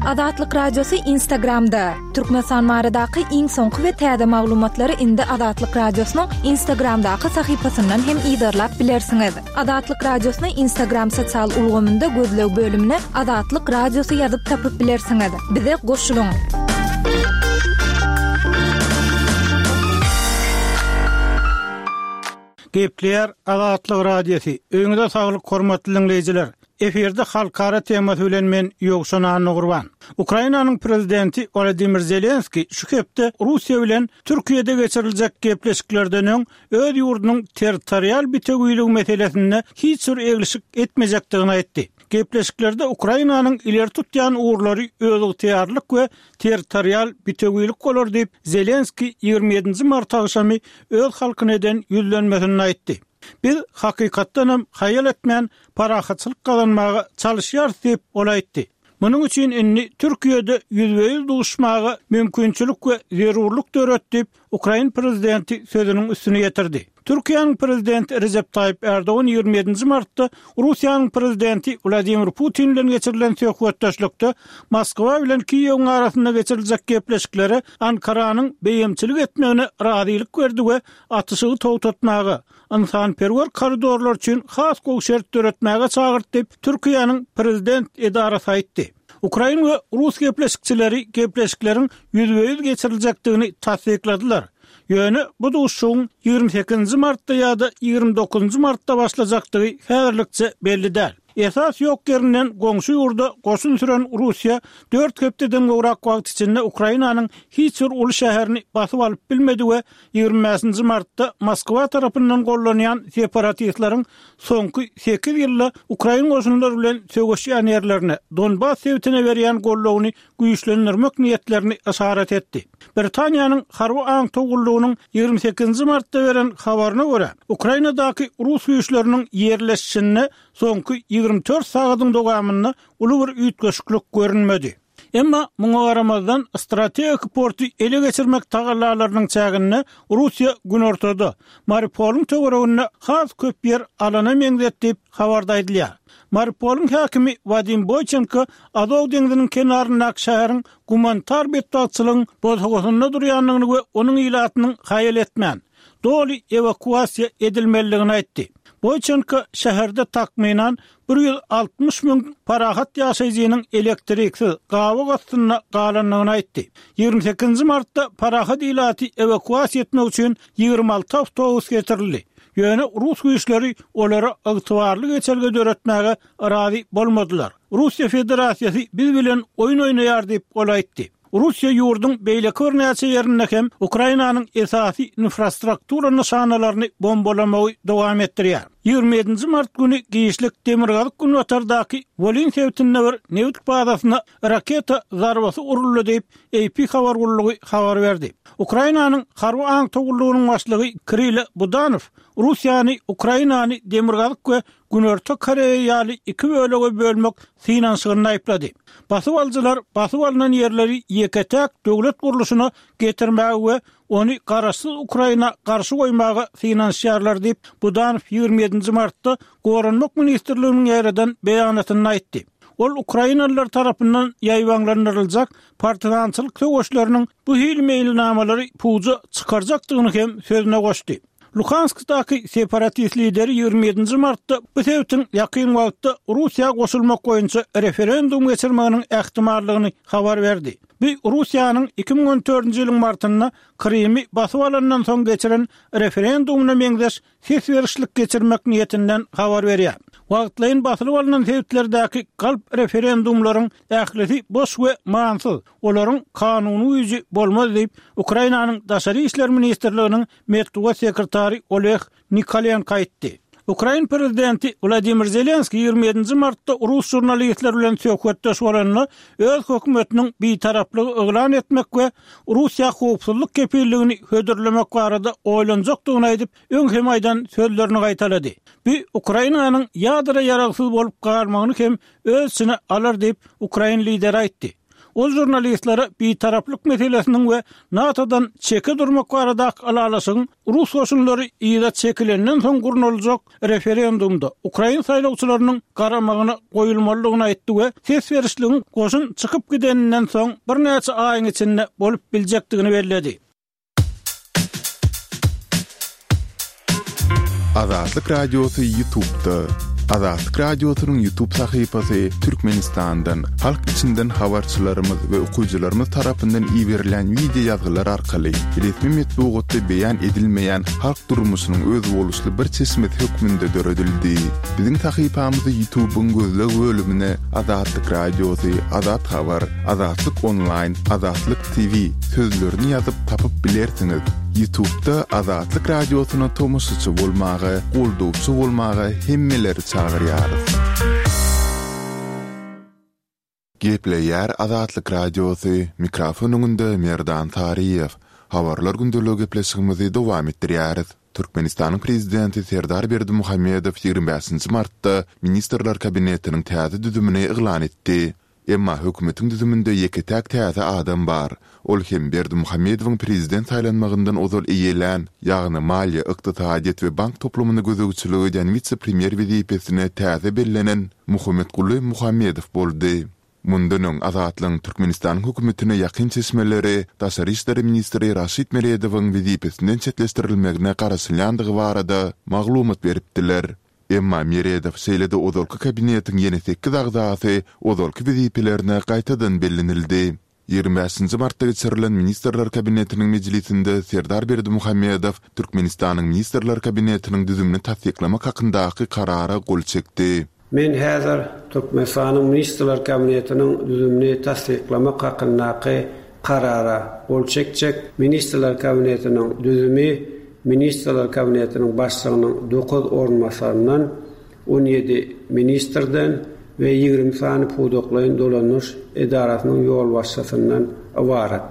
Azatlyk Radiosy Instagramda, Türkmenistan baradaky iň soňky we täze maglumatlary indi Azatlyk Radiosynyň Instagramdaky sahypasyndan hem yzarlap bilersiňiz. Azatlyk Radiosyny Instagram sosial ulgamynda gözleg bölümine Azatlyk Radiosy ýazyp tapyp bilersiňiz. Bize goşulyň! Gepleýär Azatlyk Radiosy. Öýüňize saglyk hormatly diňleýjiler. Efirde halkara temasy bilen men Ýowşan Annagurban. Ukrainanyň prezidenti Wolodymyr Zelenskiý şu hepde Russiýa bilen Türkiýede geçiriljek gepleşiklerden öň öz ýurdunyň territorial bitewiligi meselesinde hiç bir eglişik etmejekdigini aýtdy. Gepleşiklerde Ukrainanyň ileri tutýan ugurlary özygtyýarlylyk we territorial bitewilik bolar diýip, Zelenskiý 27-nji mart agşamy öz halkyna eden ýüzlenmesinde aýtdy. Biz, hakykatdanam, haýal etmän parahatçylyk gazanmaga çalyşýarys diýip, ol aýtdy. Munuň üçin indi Türkiýede ýüzbe-ýüz duşmaga mümkinçilik we zerurlyk döret diýip, ukrain prezidenti sözüniň üstüni ýetirdi. Türkiýäniň prezidenti Rejep Taýyp Ärdogan 27-nji martda Russiýanyň prezidenti Wladimir Putin bilen geçirilen söhbetdeşlikde Moskwa bilen Kiýewiň arasynda geçiriljek gepleşiklere Ankaranyň beýemçilik etmegine razylyk berdi we atyşygy togtatmaga, ynsanperwer koridorlar üçin has gowy şert döretmäge çagyrdy diýip, Türkiýäniň prezident edarasy aýtdy. Ukrain we rus gepleşikçileri gepleşikleriň ýüzbe-ýüz geçiriljekdigini tassykladylar. Ýöne bu duşuşygyň 28-nji martda ýa-da 29-njy martda başlajakdygy häzirlikçe belli däl. Esas ýok ýerinden goňşy ýurda goşun süren Russiýa dört hepdeden gowrak wagt içinde Ukrainanyň hiç bir uly şäherini basyp alyp bilmedi we 25-nji martda Moskwa tarapyndan gollanýan separatistleriň soňky sekiz ýylda ukrain goşunlary bilen söweşýän ýerlerine, Donbas sebitine berýän goldawyny güýçlendirmek niýetlerini yşarat etdi. Britaniýanyň harby aňtaw gullugynyň 28-nji martda beren habaryna görä, Ukrainadaky rus güýçleriniň ýerleşişinde soňky 24 sagadyň dowamynda uly bir üýtgeşiklik görünmedi. Emma muňa garamazdan, strategik porty ele geçirmek tagallalarynyň çäginde Russiýa günortada, Mariupolyň töwereginde has köp ýer alana meňzet diýip, habarda aýdylýar. Mariupolyň häkimi Wadim Boýçenko Azow deňziniň kenaryndaky şäheriň gumanitar betbagtçylygyň bosagasynda durýandygyny we onuň ilatynyň haýal etmän, doly ewakuasiýa edilmelidigini aýtdy. Boýçenko şäherde takmynan 160 müň parahat ýaşaýjynyň elektriksiz, gabyk astynda galandygyny aýtdy. 28-nji martda parahat ilaty ewakuasiýa etmek üçin 26 awtobus getirildi. Ýöne rus güýçleri olara ygtybarly geçelge döretmäge razy bolmadylar. Russiýa Federasiýasy biz bilen oýun oýnaýar diýip, ol aýtdy. Russiýa ýurduň beýleki birnäçe ýerinde hem Ukrainanyň esasy infrastruktura nyşanalaryny bombalamagy dowam etdirýär. 27-nji mart güni giçlik demirgazyk-günbatardaky Wolyn sebitinde bir nebit bazasyna raketa zarbasy uruldy diýip, AP habar gullugy habar berdi. Ukrainanyň harby aňtaw gullugynyň başlygy Kirilo Budanow Russiýany Ukrainany Demirgazyk we Günorta Koreýa ýaly iki bölege bölmek synanyşygynda aýyplady. Basyp alyjylar basyp alnan ýerleri ýeke-täk döwlet gurluşyna getirmäge we ony garaşsyz Ukraina garşy goýmaga synanyşýarlar diýip, Budanow 27-nji martda Goranmak ministrliginiň ýaýradan beýanatynda aýtdy. Ol ukrainalylar tarapyndan ýaýbaňlandyryljak partizançylyk söweşleriniň bu hili meýilnamalary puja çykarjakdygyny hem sözüne goşdy. Luhanskdaky separatist lideri 27-nji martda bu sebitiň ýakyn wagtda Russiýa goşulmak boýunça referendum geçirmeginiň ähtimallygyny habar berdi. Bu Russiýanyň 2014-nji ýylyň martynda Krymy basyp alandan soň geçiren referendumyna meňzeş ses berişlik geçirmek niýetinden habar berýär. Wagtlaýyn basylyp alnan sebitlerdäki galp referendumlaryň ählisi boş we manysyz, olaryň kanuny güýji bolmaz diýip, Ukrainanyň Daşary işler ministrliginiň metbugat sekretary Oleg Nikolenko aýtdy. Ukrain prezidenti Wladimir Zelenskiý 27-nji martda rus žurnalistleri bilen söhbetdeş bolanda, öz hökümetiniň bitaraplygy yglan etmek we Russiýa howpsuzlyk kepilligini hödürlemek barada oýlanjakdygyny aýdyp, öň hem aýdan sözlerini gaýtalady. Bu Ukrainanyň ýadro ýaragsyz bolup galmagyny hem öz içine alar diýip, ukrain lideri aýtdy. Ol žurnalistlere bitaraplyk meselesiniň we NATO-dan çeke durmak baradaky ylalaşygyň rus goşunlary yza çekilenden soň gurnaljak referendumda ukrain saýlawçylarynyň garamagyna goýulmalydygyny aýtdy we ses berişligiň goşun çykyp gideninden soň birnäçe aýyň içinde bolup biljekdigini belledi. Azatlyk Radiosy Ýutubda. Azatlyk Radiosynyň Ýutub sahypasy Türkmenistandan, halk içinden habarçylarymyz we okyjylarymyz tarapyndan iberilýän wideo ýazgylar arkaly resmi metbugatda beýan edilmeýän halk durmuşynyň özboluşly bir çeşmesi hökmünde döredildi. Biziň sahypamyzy Ýutubyň gözleg bölümine Azatlyk Radiosy, Azat Habar, Azatlyk Onlaýn, Azatlyk TV sözlerini ýazyp tapyp bilersiňiz. Ýutubda Azatlyk Radiosyna tomaşaçy bolmaga, goldawçy bolmaga hemmeleri çagyrýarys. Gepleýär Azatlyk Radiosy, mikrofon öňünde Merdan Saryýew. Habarlar gündeligi gepleşigimizi dowam etdirýäris. Türkmenistanyň Prezidenti Serdar Berdimuhamedow 25 martda Ministrler Kabinetiniň täze düzümini yglan etdi. Emma hökümetiň düzüminde ýeke-täk täze adam bar. Ol hem Berdimuhamedowyň prezident saýlanmagyndan ozal eýelän, ýagny maliýe, ykdysadyýet we bank toplumyna gözegçilik edýän wise-premýer wezipesine täze bellenen Muhammetguly Muhammedow boldy. Mundan öň Azatlygyň Türkmenistanyň hökümetine ýakyn çeşmeleri daşary işler ministri Raşid Meredowyň wezipesinden çetleşdirilmegine garaşylýandygy barada maglumat beripdiler. Emma Meredow şeýle-de ozalky kabinetiň ýene sekiz agzasy ozalky wezipelerine gaýtadan bellenildi. 25 nji martda geçirilen Ministrler Kabinetiniň mejlisinde Serdar Berdimuhamedow Türkmenistanyň Ministrler Kabinetiniň düzümini tassyklamak hakyndaky Karara gol çekdi. Men häzir Türkmenistanyň Ministrler Kabinetiniň düzümini tassyklamak hakyndaky Karara gol çekjek. Ministrler Kabinetiniň düzümi Ministrler Kabinetiniň Başlygynyň dokuz orunbasaryndan, 17 ministrden we 20 sany pudaklaýyn dolandyryş edarasynyň ýolbaşçysyndan ybarat.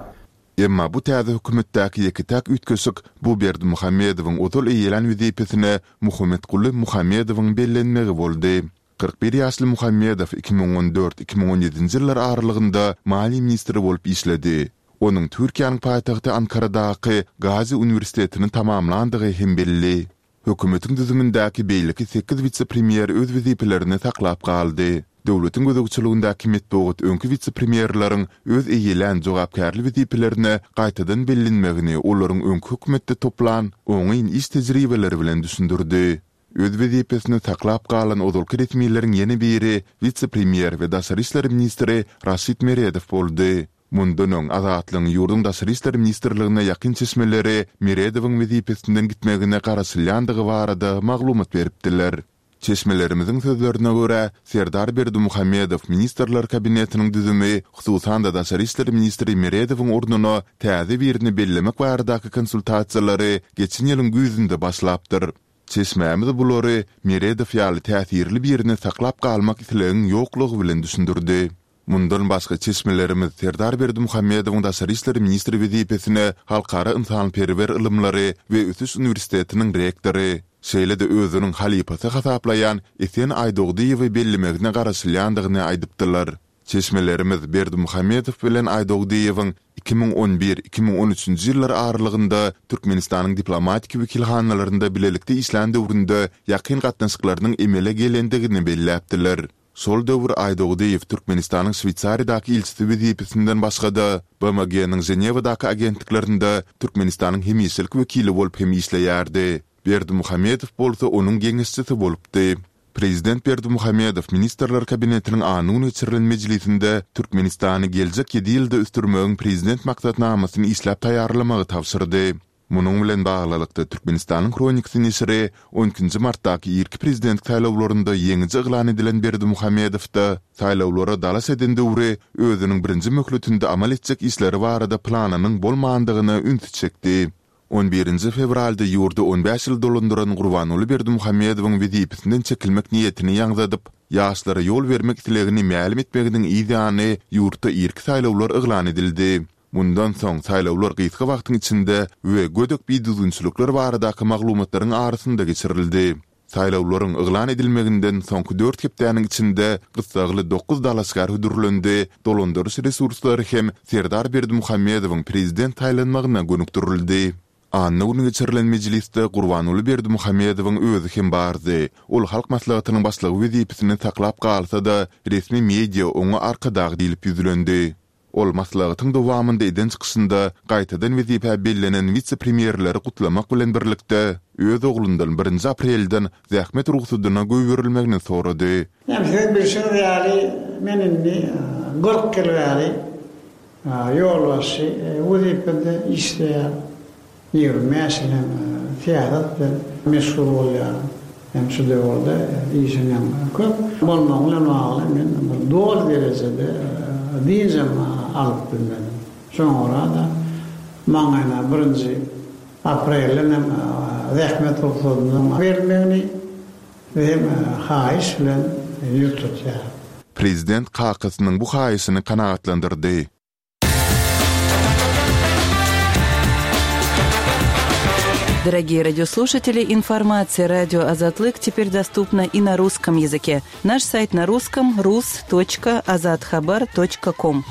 Emma bu täze hökümetdäki ýeke-täk üýtgeşik bu Berdimuhamedowyň ozal eýelän wezipesine Muhammetguly Muhammedowyň bellenmegi boldy. 41 ýaşly Muhammedow 2014, 2017-nji ýyllar aralygynda maliýe ministri bolup işledi. Onuň Türkiýäniň paýtagty Ankaradaky Gazi uniwersitetini tamamlandygy hem belli. Hökümetiň düzümindäki beýleki sekiz wise-premýer öz wezipelerini saklap galdy. Döwletiň gözegçiligindäki metbugat öňki wise-premýerleriň öz eýelän jogapkärli wezipelerine gaýtadan bellenmegini olaryň öňki hökümetde toplan oňyn iş tejribeleri bilen düşündirdi. Öz wezipesini saklap galan ozalky resmileriň ýene biri wise-premýer we daşary işler ministri Raşid Meredow boldy. Mundan öň Azatlygyň ýurduň Daşary işler ministrligine ýakyn çeşmeleri Meredowyň wezipesinden gitmegine garaşylýandygy barada maglumat beripdiler. Çeşmelerimiziň sözlerine görä, Serdar Berdimuhamedow Ministrler Kabinetiniň düzümi, hususan-da daşary işler ministri Meredowyň ornuna täze birini bellemek baradaky konsultasiýalary geçen ýylyň güýzünde başlapdyr. Çeşmämiz bulary Meredow ýaly täsirli birini saklap galmak islegiň ýoklugy bilen düşündirdi. Mundan başga çeşmelerimiz Serdar Berdimuhamedowyň daşary işler ministri wezipesine Halkara ynsanperwer ylymlary we ösüş uniwersitetiniň rektory, şeýle-de özüniň halypasy hasaplaýan Esen Aýdogdyýewi bellemegine garaşylýandygyny aýdypdylar. Çeşmelerimiz Berdimuhamedow bilen Aýdogdyýewiň 2011, 2013-nji ýyllar aralygynda Türkmenistanyň diplomatik wekilhanalarynda bilelikde işlän döwründe ýakyn gatnaşyklarynyň emele gelendigini belläpdiler. Şol döwür Aýdogdyýew Türkmenistanyň Şweýsariýadaky ilçisi wezipesinden başga-da, BMG-niň Ženewadaky agentliklerinde Türkmenistanyň hemişelik wekili bolup hem işleýärdi. Berdimuhamedow bolsa onuň geňeşçisi bolupdy. Prezident Berdimuhamedow Ministrler Kabinetiniň anna güni geçirilen mejlisinde Türkmenistany geljek ýedi ýylda ösdürmegiň Prezident maksatnamasyny işläp taýýarlamagy tabşyrdy. Munuň bilen baglylykda, Türkmenistanyň Hronikasy neşiri on ikinji martdaky irki prezidentlik saýlawlarynda ýeňiji yglan edilen Berdimuhamedowda saýlawlara dalaş eden döwri özüniň birinji möhletinde amal etjek işleri barada planynyň bolmandygyna ünsi çekdi. On birinji fewralda ýurdy on bäş ýyl dolandyran Gurbanguly Berdimuhamedowyň wezipesinden çekilmek niýetini ýaňzadyp, ýaşlara ýol bermek islegini mälim etmeginiň yz ýany ýurtda irki saýlawlar yglan edildi. Mundan soň saýlawlar gysga wagtyň içinde we gödek bidüzgünçilikler baradaky maglumatlaryň arasynda geçirildi. Saýlawlaryň yglan edilmeginden soňky dört hepdäniň içinde gyssagly dokuz dalaşgär hödürlendi, dolandyryş resurslary hem Serdar Berdimuhamedowyň prezident saýlanmagyna gönükdirildi. Anna güni geçirilen mejlisde Gurbanguly Berdimuhamedowyň özi hem bardy. Ol Halk Maslahatynyň Başlygy wezipesini saklap galsa-da, resmi media oňa Arkadag diýlip ýüzlendi. Ol maslahatyň dowamynda eden çykyşynda gaýtadan wezipä bellenen wise-premýerleri gutlamak bilen birlikde, öz oglundan birinji aprelden zähmet rugsadyna goýberilmegini sorady. Ýa siziň bilşiňiz ýaly, men indi 40 ýyl bäri ýolbaşçy wezipede işleýän. 25 ýyl hem syýasat bilen meşgul bolýaryn. Hem şu döwürde işiň hem köp bolmagy bilen bagly men bir doly derejede dynjam alyp bilmedim. Şoňa görä-de maňa birinji aprelden hem zähmet rugsadynyň berilmegini hem haýyş bilen ýüz tutýaryn. Prezident kakasynyň bu haýyşyny kanagatlandyrdy. Дорогие радиослушатели, информация радио Азатлык теперь доступна и на русском языке. Наш сайт на русском rus.azathabar.com.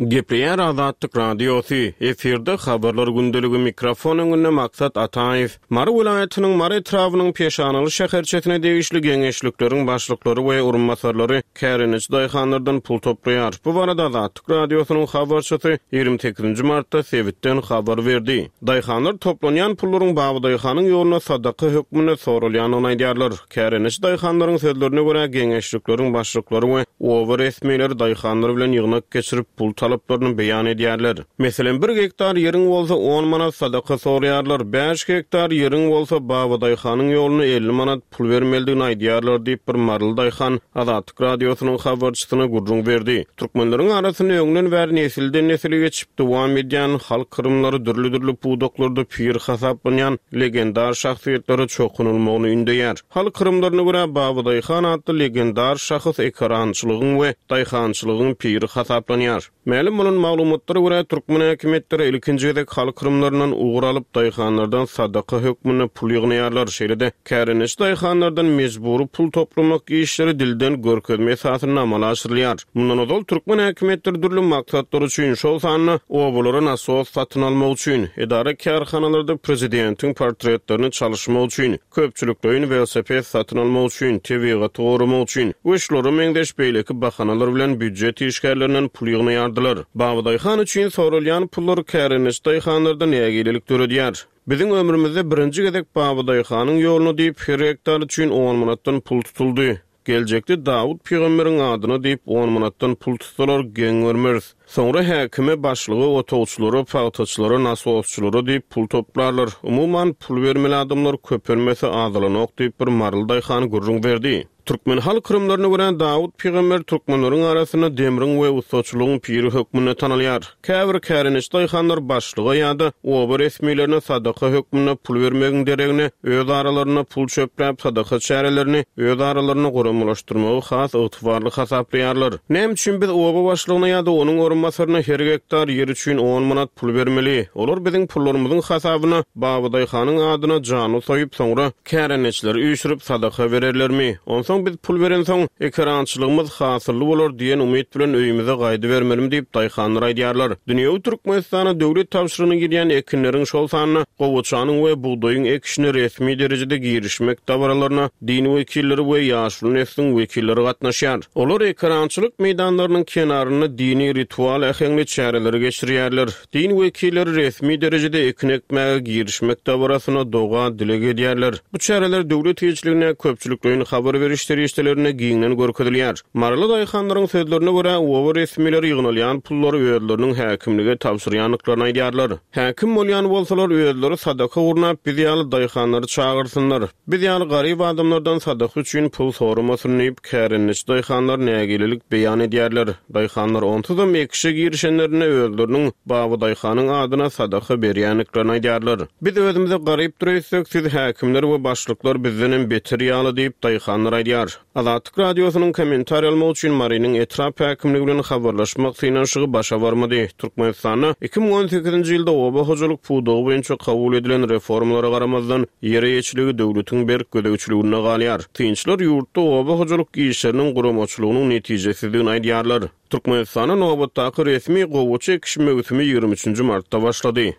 Gepleýär Azatlyk Radiosy, efirde Habarlar gündeligi, mikrofon öňünde Maksat Ataýew. Mary welaýatynyň Mary etrabynyň Peşanaly şäherçesine degişli geňeşlikleriň başlyklary we orunbasarlary kärendeçi daýhanlardan pul toplaýar. Bu barada Azatlyk Radiosynyň habarçysy 28 nji martda sebitden habar berdi. Daýhanlar toplanýan pullaryň Babadaýhanyň ýoluna sadaka hökmünde soralýandygyny aýdýarlar. Kärendeçi daýhanlaryň sözlerine görä, geňeşlikleriň başlyklary we oba resmileri daýhanlar bilen ýygnak geçirip, pul talaplaryny beýan edýärler. Meselem, bir gektar ýeriň bolsa on manat sadaka soraýarlar, bäş gektar ýeriň bolsa Babadaýhanyň ýoluna 50 manat pul bermelidigini aýdýarlar diýip, bir maryly daýhan Azatlyk Radiosynyň habarçysyna gürrüň berdi. Türkmenleriň arasynda öňden bäri nesilden-nesile geçip dowam edýän halk yrymlary dürli-dürli pudaklarda pir hasaplanýan legendar şahsyýetlere çokunylmagyny ündeýär. Halk yrymlaryna görä, Babadaýhan atly legendar şahs ekerançylygyň we daýhançylygyň piri hasaplanýar. Mälim bolan maglumatlara görä, türkmen häkimiýetleri ilkinji gezek halk yrymlaryndan ugur alyp, daýhanlardan sadaka hökmünde pul ýygnaýarlar. Şeýle-de, kärendeçi daýhanlardan mejbury pul toplamak işleri dilden görkezme esasynda amala aşyrylýar. Mundan ozal, türkmen häkimiýetleri dürli maksatlar üçin, şol sanda obalara nasos satyn almak üçin, edara-kärhanalarda prezidentiň portretlerini çalyşmak üçin, köpçülikleýin welosiped satyn almak üçin, tebigaty goramak üçin we şulara meňzeş beýleki bahanalar bilen býujet işgärlerinden pul ýygnaýardylar. Babadaýhan üçin soralýan pullar kärendeçi daýhanlarda nägilelik döredýär. Biziň ömrümizde birinji gezek Babadaýhanyň ýoluna diýip her gektar üçin on manatdan pul tutuldy. Geljekde Dawut pygamberiň adyna diýip on manatdan pul tutsalar geň görmeris. Soňra häkime, başlyga, otagçylara, pagtaçylara, nasosçylara diýip pul toplarlar. Umuman, pul bermeli adamlar köpelmese azalanok diýip bir maryly daýhan gürrüň berdi. Türkmen halk yrymlaryna görä Dawut pygamber türkmenleriň arasynda demriň we ussaçylygyň piri hökmünde tanalýar. Käbir kärendeçi daýhanlar başlyga ýa-da oba resmilerine sadaka hökmünde pul bermegiň deregine, öz aralarynda pul çöpläp, sadaka çärelerini öz aralarynda guramalaşdyrmagy has ygtybarly hasaplaýarlar. Näme üçin biz oba başlygyna ýa-da onuň orunbasaryna her gektar ýer üçin on manat pul bermeli? Olar biziň pullarymyzyň hasabyna Babadaýhanyň adyna janly soýup, soňra Kärendeçileri üýşürip sadaka bererlermi? Onsoň biz pul berensoň, ekerançylygymyz hasylly bolar diýen umyt bilen öýümize gaýdybermelimi diýip, daýhanlar aýdýarlar. Dünýewi Türkmenistana döwlet tabşyrygyna girýän ekinleriň, şol sanda gowaçanyň we bugdaýyň ekişine resmi derejede girişmek dabaralaryna din wekilleri we ýaşuly nesliň wekilleri gatnaşýar. Olar ekerançylyk meýdanlarynyň kenarynda dini ritual äheňli çäreleri geçirýärler. Din wekilleri resmi derejede ekin ekmäge girişmek dabarasyna doga-dileg edýärler. Bu çäreler döwlet eýeçiligindäki köpçülikleýin habar beriş serişdelerinde giňden görkezilýär. Maryly daýhanlaryň sözlerine görä, oba resmileri ýygnalýan pullary özleriniň häkimlige tabşyrýandyklaryny aýdýarlar. Häkim bolýan bolsalar, özleri sadaka gurnap, biz ýaly daýhanlary çagyrsynlar. Biz ýaly garyp adamlardan sadaka üçin pul soramasyn diýip, kärendeçi daýhanlar nägilelik beýan edýärler. Daýhanlar onsuzam ekişi. Ekişe girişenlerinde özleriniň Babadaýhanyň adyna sadaka berýändiklerini aýdýarlar. Biz özümize garypdyr öýtsek, siz häkimler we başlyklar bizdenem beter ýaly diýip, daýhanlar aýdýar. Azatlyk Radiosynyň kommentariý almak üçin Marynyň etrap häkimligi bilen habarlaşmak synanyşygy başa barmady. Türkmenistanda 2018-nji ýylda oba hojalyk pudagy boýunça kabul edilen reformalara garamazdan, ýer eýeçiligi döwletiň berk gözegçiliginde galýar. Synçylar ýurtda oba hojalyk işleriniň guramaçylygynyň netijesizdigini aýdýarlar. Türkmenistanda nobatdaky resmi gowaça ekiş möwsümi 23 nji martda başlady.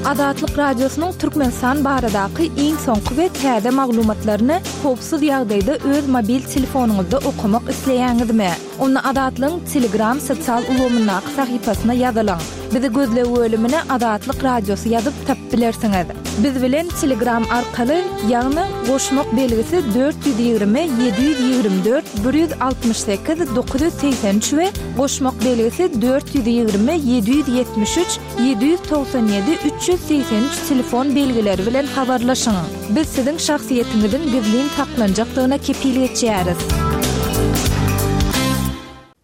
Azatlyk Radiosynyň Türkmenistan baradaky iň soňky we täze maglumatlaryny howpsuz ýagdaýda öz mobil telefonyňyzda okamak isleýäňizmi? Onda Azatlygyň Telegram sosial ulgamyndaky sahypasyna ýazylyň. Bizi gözleg bölümine Azatlyk Radiosy ýazyp tapyp bilersiňiz. Biz bilen Telegram arkaly, ýagny goşmak belgisi 420 724 168 983 we goşmak belgisi 420 773 797 383 telefon belgileri bilen habarlaşyň. Biz siziň şahsyýetiňiziň gizlin saklanjakdygyna kepil geçýäris.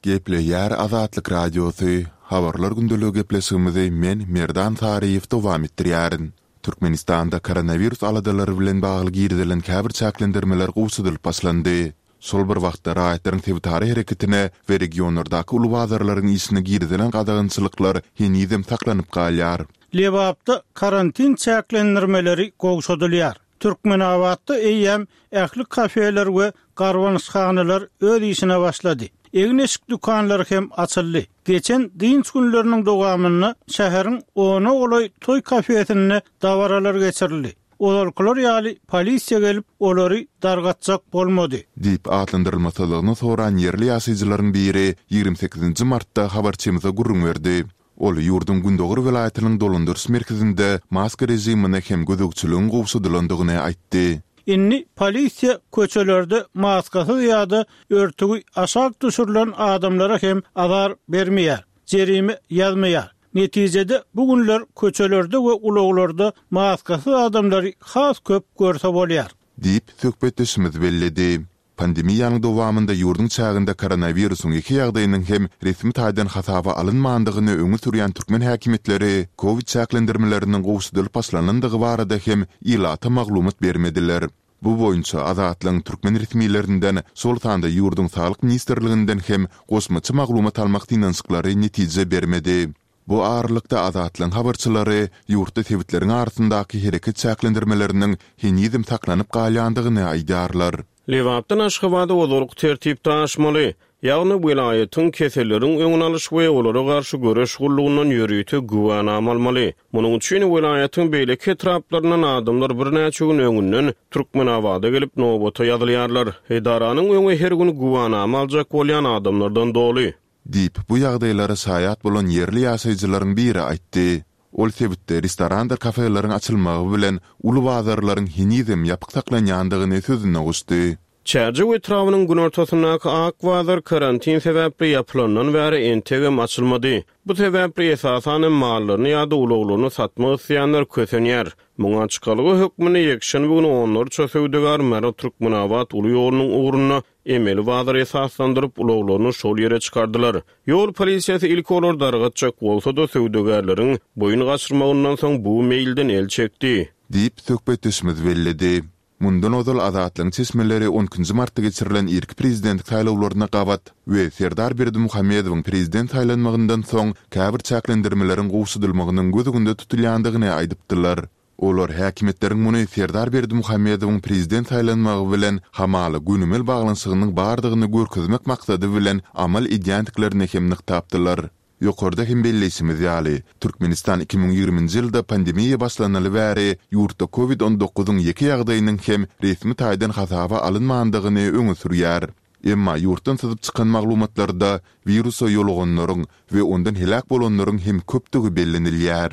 Gepleýär Azatlyk Radiosy, Habarlar gündeligi gepleşigimizi men, Merdan Saryýew dowam etdirýärin. Türkmenistanda koronawirus aladalary bilen bagly girizilen käbir çäklendirmeler gowşadylyp başlandy. Şol bir wagtda, raýatlaryň sebitara hereketine we regionlardaky uly bazarlaryň işine girizilen gadagançylyklar henizem saklanyp galýar. Lebapda karantin çäklendirmeleri gowşadylýar. Türkmenabatda eýýäm ähli kafeler we garbanyşhanalar öz işine başlady. Egin-eşik dükanlary hem açyldy. Geçen dynç günleriniň dowamynda şäheriň ona golaý toý kafesinde dabaralar geçirildi. Ozalkylar ýaly polisiýa gelip, olary dargatjak bolmady. Diýip atlandyrylmasyzlygyny soran ýerli ýaşaýjylaryň biri 28-nji martda habarçymyza gürrüň berdi. Ol ýurduň gündogar welaýatynyň dolandyryş merkezinde maska režimine hem gözegçiligiň gowşadylandygyny aýtdy. Indi polisiýa köçelerde maskasyz ýa-da örtügi aşak düşürilen adamlara hem azar bermeýär, jerime ýazmaýar. Netijede, bu günler köçelerde we ulaglarda maskasyz adamlary has köp görse bolýar. Diýip, söhbetdeşimiz belledi. Pandemiýanyň dowamynda ýurduň çäginde koronawirusyň ýeke ýagdaýynyň hem resmi taýdan hasaba alynmandygyny öňe sürýän türkmen häkimiýetleri kowid çäklendirmeleriniň gowşadylyp başlanandygy barada hem ilata maglumat bermediler. Bu boýunça Azatlygyň türkmen resmilerinden, şol sanda ýurduň Saglyk ministrliginden hem goşmaça maglumat almak synanyşyklary netije bermedi. Bu aralykda Azatlygyň habarçylary ýurtda sebitleriň arasyndaky hereket çäklendirmeleriniň henizem saklanyp galýandygyny aýdýarlar. Lebapdan Aşgabada ozalky tertipde aşmaly, ýagny welaýatyň keselleriň öňüni alyş we olara garşy göreş gullugyndan ýörite güwänama almaly. Munuň üçin welaýatyň beýleki etraplaryndan adamlar birnäçe gün öňünden Türkmenabada gelip nobata ýazylýarlar. Edaranyň öňi her gün güwänama aljak bolýan adamlardan doly. Diýip, bu ýagdaýlara şaýat bolan ýerli ýaşaýjylaryň biri aýtdy. Ol sebitde restorandyr kafeleriň açylmagy bilen uly bazarlaryň henizem ýapyk saklanýandygyny sözüne goşdy. Çärjew etrabynyň günortasyndaky Ak bazar karantin sebäpli ýapylandan bäri entegem açylmady. Bu sebäpli esasan hem mallaryny ýa-da ulaglaryny satmak isleýänler kösenýär. Muňa çykalga hökmünde ýekşenbe güni onlarça söwdagär Mary-Türkmenabat uly ýolunyň ugrunda Emeli bazar esaslandyryp, ulaglaryny şol ýere çykardylar. Ýol polisiýasy ilki olary dargatjak bolsa-da, söwdagärleriň boýun gaçyrmagyndan soň bu meýilden el çekdi. Diýip, söhbetdeşimiz belledi. Mundan ozal Azatlygyň çeşmeleri on ikinji martda geçirilen irki prezidentlik saýlawlaryna gabat we Serdar Berdimuhamedowyň prezident saýlanmagyndan soň käbir çäklendirmeleriň gowşadylmagynyň göz öňünde tutulýandygyny aýdypdylar. Olar häkimiýetleriň muny Serdar Berdimuhamedowyň prezident saýlanmagy bilen hamala gönümel baglanyşygynyň bardygyny görkezmek maksady bilen amal edýändiklerini hem nygtapdylar. Ýokarda hem belleýşimiz ýaly, Türkmenistan 2020-nji ýylda pandemiýa başlanaly bäri ýurtda covid on dokuzyň ýeke ýagdaýynyň hem resmi taýdan hasaba alynmandygyny öňe sürýär. Emma ýurtdan syzyp çykan maglumatlarda wirusa ýoluganlaryň we ondan heläk bolanlaryň hem köpdügi bellenilýär.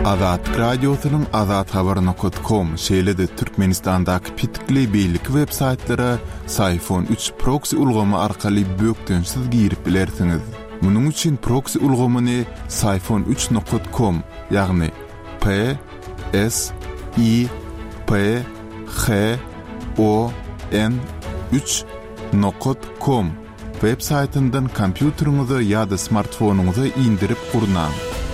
Azatlyk Radiosynyň Azathabar nokat kom, şeýle-de Türkmenistandaky petikli beýleki web saýtlara Syfon üç proksi ulgamy arkaly bökdençsiz girip bilersiňiz. Munuň üçin proksi ulgamyny Syfon üç nokat kom, ýagny P S I P H O N üç nokat kom. Web saýtyndan kompýuteriňize ýa-da smartfonyňyza indirip gurnaň.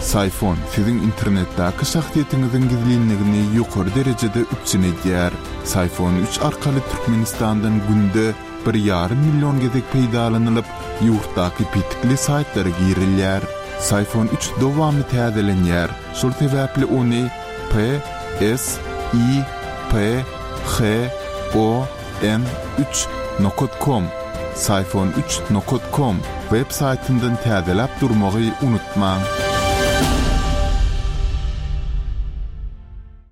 Syfon siziň internetdäki şahsyýetiňiziň gizlinligini ýokary derejede üpjün edýär. Syfon üç arkaly Türkmenistandan günde bir ýarym million gezek peýdalanylyp, ýurtdaky petikli saýtlara girilýär. Syfon üç dowamly täzelenýär, şol sebäpli ony P S I P H O N üç nokat kom, Syfon üç nokat kom, web saýtyndan täzeläp durmagy unutmaň.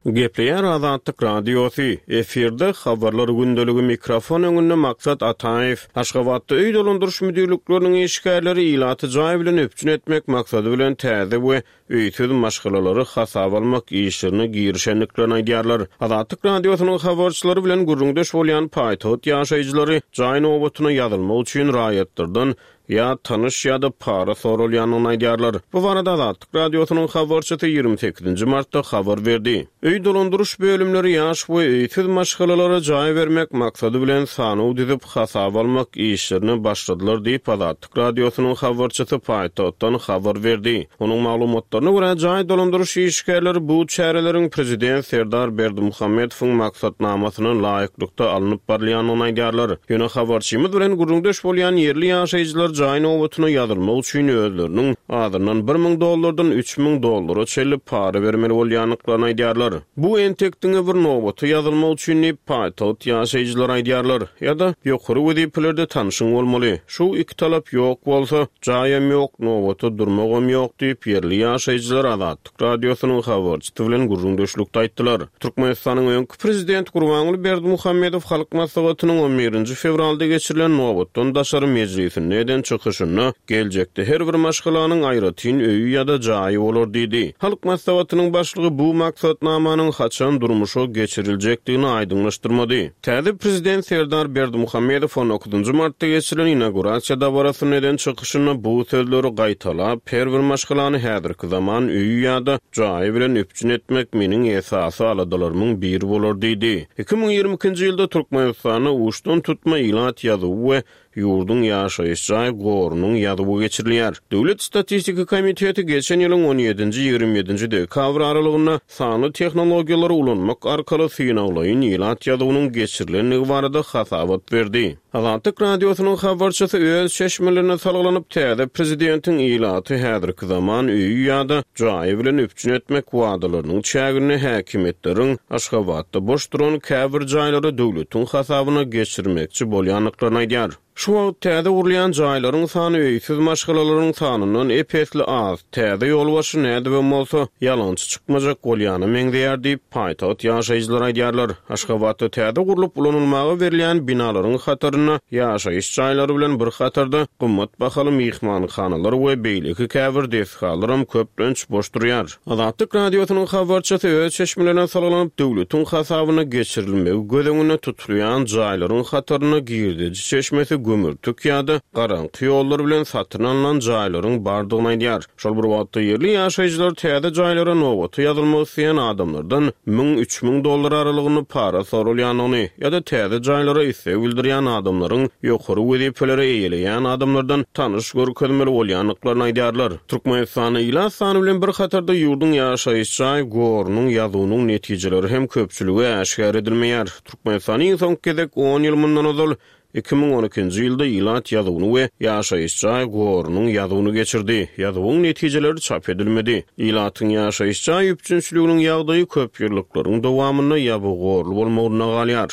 Gepleýär Azatlyk Radiosy, efirde Habarlar gündeligi mikrofon öňünde Maksat Ataýew. Aşgabatda öý dolandyryş müdirlikleriniň işgärleri ilaty jaý bilen üpjün etmek maksady bilen täze we öýsüz maşgalalary hasaba almak işlerine girişendiklerini aýdýarlar. Azatlyk Radiosynyň habarçylary bilen gürrüňdeş bolýan paýtagt ýaşaýjylary jaý nobatyna ýazylmak üçin raýatlardan ýa tanyş ýa-da para soralýandygyny aýdýarlar. Bu barada Azatlyk Radiosynyň habarçysy 28-nji martda habar berdi. Öý dolandyryş bölümleri ýaş we öýsüz maşgalalara jaý bermek maksady bilen sanaw düzüp, hasaba almak işlerine başladylar diýip, Azatlyk Radiosynyň habarçysy paýtagtdan habar berdi. Onuň maglumatlaryna görä, jaý dolandyryş işgärleri bu çäreleriň prezident Serdar Berdimuhamedowyň maksatnamasyna laýyklykda alnyp barylýandygyny aýdýarlar. Ýöne habarçymyz bilen gürrüňdeş bolýan ýerli ýaşaýjylar jaý nobatyna ýazylmak üçin özleriniň azyndan bir müň dollardan 3000 dollara çenli para bermeli bolýandyklaryny aýdýarlar. Bu entek diňe bir nobata ýazylmak üçin diýip, paýtagt ýaşaýjylary aýdýarlar. Ýa-da ýokary wezipelerde tanşyň bolmaly. Şu iki talap ýok bolsa, jaýam ýok, nobata durmagam ýok diýip, ýerli ýaşaýjylar Azatlyk Radiosynyň habarçysy bilen gürrüňdeşlikde aýtdylar. Türkmenistanyň öňki prezidenti Gurbanguly Berdimuhamedow Halk Maslahatynyň on birinji fewralda geçirilen nobatdan daşary mejlisinde eden çykyşynda geljekde her bir maşgalanyň aýratyn öýi ýa-da jaýy bolar diýdi. Halk Maslahatynyň başlygy bu maksatnamanyň haçan durmuşa geçiriljekdigini aýdyňlaşdyrmady. Täze prezident Serdar Berdimuhamedow on dokuzynjy martda geçirilen inaugurasiýa dabarasynda eden çykyşynda bu sözleri gaýtalap, her bir maşgalany häzirki zaman öýi ýa-da jaýy bilen üpjün etmek meniň esasy aladalarymyň biri bolar diýdi. 2022-nji ýylda Türkmenistanda uçdan-tutma ilat ýazuwy we Ýurduň ýaşaýyş jaý gorunyň ýazuwy geçirilýär. Döwlet statistika komiteti geçen ýylyň on ýedinji, 27-nji dekabr aralygynda sanly tehnologiýalary ulanmak arkaly synaglaýyn ilat ýazuwynyň geçirilendigi barada hasabat berdi. Azatlyk Radiosynyň habarçysy öz çeşmelerine salgylanyp, täze prezidentiň ilaty häzirki zaman öýi ýa-da jaýy bilen üpjün etmek wadalarynyň çäginde häkimiýetleriň Aşgabatda boş duran käbir jaýlary döwletiň hasabyna geçirmekçi bolýandyklaryny aýdýar. Şu wagt täze gurulýan jaýlaryň sany öýsüz maşgalalaryň sanyndan ep-esli az. Täze ýolbaşçy nädibem bolsa, ýalançy çykmajak bolýana meňzeýär diýip, paýtagt ýaşaýjylary aýdýarlar. Aşgabatda täze gurlup ulanylmaga berilýän binalaryň hatarynda ýaşaýyş jaýlary bilen bir hatarda gymmat bahaly myhmanhanalar we beýleki käbir desgalaram köplenç boş durýar. Azatlyk Radiosynyň habarçysy öz çeşmelerine salgylanyp, döwletiň hasabyna geçirilmegi göz öňünde tutulýan jaýlaryň hatarynda girdeji çeşmesi gümürtik ýa-da garaňky ýollar bilen satyn alnan jaýlaryň bardygyny aýdýar. Şol bir wagtda, ýerli ýaşaýjylar täze jaýlara nobata ýazylmak isleýän adamlardan müň, 3000 dollar aralygynda para soralýandygyny ýa-da täze jaýlara isleg bildirýän adamlaryň ýokary wezipeleri eýeleýän adamlardan tanyş görkezmeli bolýandyklaryny aýdýarlar. Türkmenistanda ilat sany bilen bir hatarda ýurduň ýaşaýyş jaý gorunyň ýazuwynyň netijeleri hem köpçülige äşgär edilmeýär. Türkmenistan iň soňky gezek on ýyl mundan ozal, 2012-nji ýylda ilat ýazuwyny we ýaşaýyş jaý gorunyň ýazuwyny geçirdi. Ýazuwyň netijeleri çap edilmedi. Ilatyň ýaşaýyş jaý üpjünçiliginiň ýagdaýy köp ýyllyklaryň dowamynda ýabyg gorly bolmagynda galýar.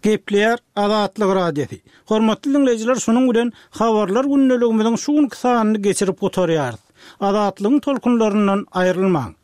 Gepleýär Azatlyk Radiosy. Hormatly diňleýjiler şunuň bilen Habarlar gündeligimiziň şu günki sanyny geçirip gutarýarys. Azatlygyň tolkunlaryndan aýrylmaň!